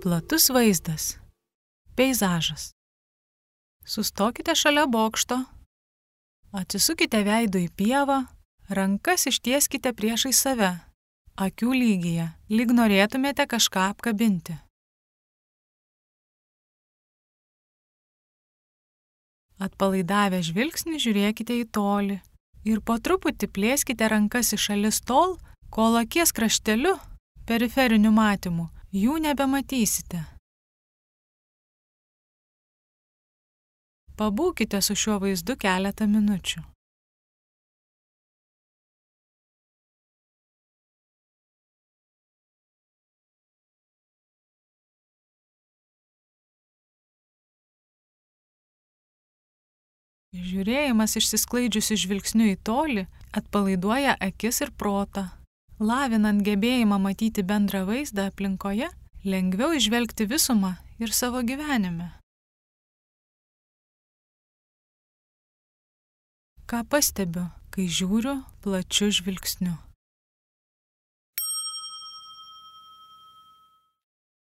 Platus vaizdas. Peizažas. Sustokite šalia bokšto, atsisukite veidu į pievą, rankas ištieskite priešai save, akių lygyje, lyg norėtumėte kažką apkabinti. Atpalaidavę žvilgsnį žiūrėkite į tolį ir po truputį plėskite rankas į šalis tol, kol akies krašteliu, periferiniu matymu, jų nebematysite. Pabūkite su šiuo vaizdu keletą minučių. Žiūrėjimas išsisklaidžiusiu žvilgsniu į tolį atpalaiduoja akis ir protą. Lavinant gebėjimą matyti bendrą vaizdą aplinkoje, lengviau įžvelgti visumą ir savo gyvenime. Ką pastebiu, kai žiūriu plačiu žvilgsniu?